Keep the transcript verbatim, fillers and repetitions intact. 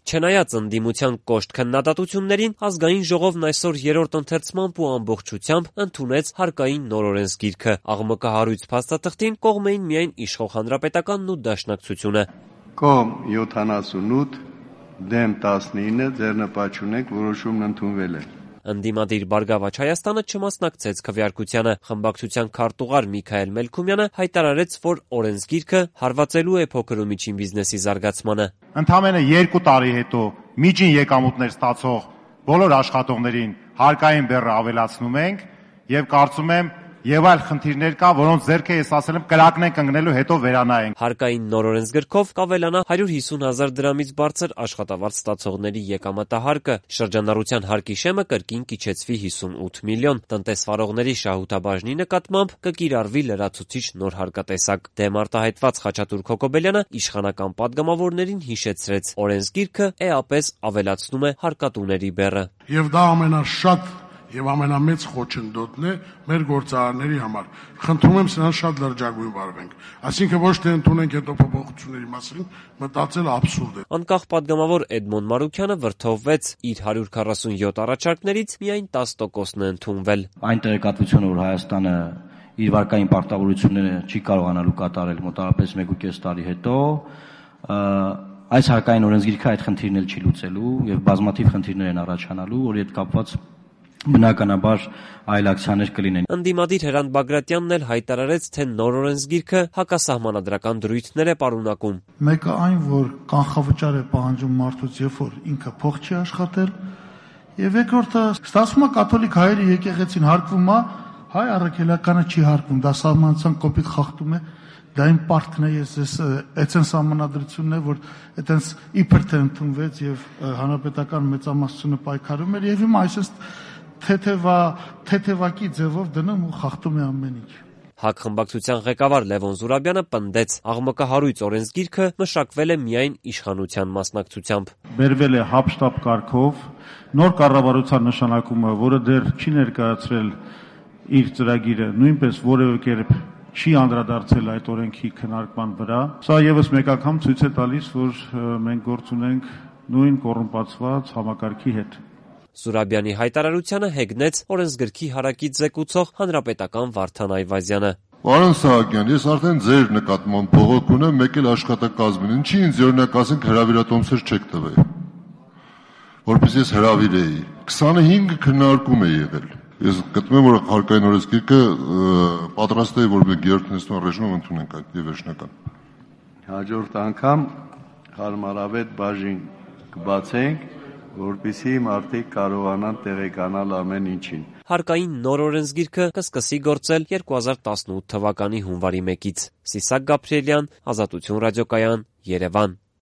Չնայած ընդդիմության կոշտ քննադատություններին, ազգային ժողովն այսօր երրորդ ընթերցմամբ ու ամբողջությամբ ընդունեց հարկային նոր օրենսգիրքը։ Աղմկահարույց փաստաթղթին կողմ էին միայն իշխող Հանրապետականն ու Դաշնակցությունը։ Կողմ յոթանասունութ, դեմ տասնինը, ձեռնպատ չունենք, որոշումն ընդունվել է։ Ընդդիմադիր Բարգավաճ Հայաստանը չմասնակցեց քվեարկությանը։ Խմբակցության քարտուղար Միքայել Մելքումյանը հայտարարեց, որ օրենսգիրքը հարվածելու է փոքր ու միջին բիզնեսի զարգացմանը։ Ընդամենը երկու տարի հետո միջին եկամուտներ ստացող բոլոր աշխատողներին հարկային բեռը ավելացնում ենք եւ կարծում եմ եւ այլ խնդիրներ կա, որոնց ձեռքը ես ասել եմ կրակնենք ընկնելու հետո վերանայենք։ Հարկային նոր օրենսգրքով կավելանա հարյուր հիսուն հազար դրամից բարձր աշխատավարձ ստացողների եկամտահարկը, շրջանառության հարկի շեմը կրկին կիջեցվի հիսունութ միլիոն, տնտեսվարողների շահութաբաժնի նկատմամբ կկիրառվի լրացուցիչ նոր հարկատեսակ։ Դեմ արտահայտված Խաչատուր Քոքոբելյանը իշխանական падգամավորներին հիշեցրեց, օրենսգիրքը էապես ավելացնում է հարկատուների բեռը։ Եվ դա ամենաշատ եւ ամենամեծ խոչընդոտն է մեր գործարանների համար։ Խնդրում եմ սրանց շատ լրջագույն վարվենք։ Այսինքն ոչ թե ընդունենք հետո փոփոխությունների մասին, մտածել աբսուրդ է։ Անկախ падգամավոր Էդմոն Մարուքյանը վրդովվեց, իր հարյուր քառասունյոթ առաջարկներից միայն տասը տոկոսն է ընդունվել։ Այն տեղեկատվությունը, որ Հայաստանը իր վարկային պարտավորությունները չի կարողանալու կատարել մոտավորապես մեկ ու կես տարի հետո, այս հարկային օրենսգիրքը այդ խնդիրն էլ չի լուծելու եւ բազմաթիվ խնդիրներ են առաջանալու, որի հետ կապված բնականաբար այլ ակցիաներ կլինեն։ Ընդդիմադիր Հրանտ Բագրատյանն էլ հայտարարեց, թե նոր օրենսգիրքը հակասահմանադրական դրույթներ է պարունակում։ Մեկը այն, որ կանխավճար է պահանջում մարդուց, երբ որ ինքը փող չի աշխատել, եւ երկրորդը ստացվում է կաթոլիկ հայերի եկեղեցին հարկվում է, հայ առաքելականը չի հարկվում, դա սահմանության կոպիտ խախտում է։ Դա իմ պարտքն է, ես ես այդեն սահմանադրությունն է, որ այդենց իբր թե ընդունվեց եւ հանրապետական մեծամասնությունը պայքարում էր եւ հիմա այսպես թեթևա թեթևակի ձևով դնում ու խախտում է ամեն ինչ։ ՀԱԿ խմբակցության ղեկավար Լևոն Զուրաբյանը պնդեց, աղմկահարույց օրենսգիրքը մշակվել է միայն իշխանության մասնակցությամբ։ Բերվել է հապշտապ կարգով, նոր կառավարության նշանակումը, որը դեռ չի ներկայացրել իր ծրագիրը, նույնպես որևէ կերպ չի անդրադարձել այդ օրենքի քննարկման վրա։ Սա եւս մեկ անգամ ցույց է տալիս, որ մենք գործ ունենք նույն կոռումպացված համակարգի հետ։ Զուրաբյանի հայտարարությանը հեգնեց օրենսգրքի հարակից զեկուցող հանրապետական Վարդան Այվազյանը։ Պարոն Սահակյան, ես արդեն ձեր նկատմամբ բողոք ունեմ, մեկ էլ աշխատակազմին, ինչի ինձ օրինակ ասենք հրավիրատոմսեր չեք տվել, որպես ես հրավիրեի։ քսանհինգ քննարկում է եղել։ Ես գտնում եմ, որ հարկային օրենսգիրքը պատրաստ է, որ մենք երրորդ նստման ռեժիմով ընդունենք այդ եւ վերջնական։ Հաջորդ անգամ հարմարավետ բաժին կբացենք, որպեսզի մարդիկ կարողանան տեղեկանալ ամեն ինչին։ Հարկային նոր օրենսգիրքը կսկսի գործել երկու հազար տասնութ թվականի հունվարի մեկից։ Սիսակ Գաբրիելյան, Ազատություն ռադիոկայան, Երևան։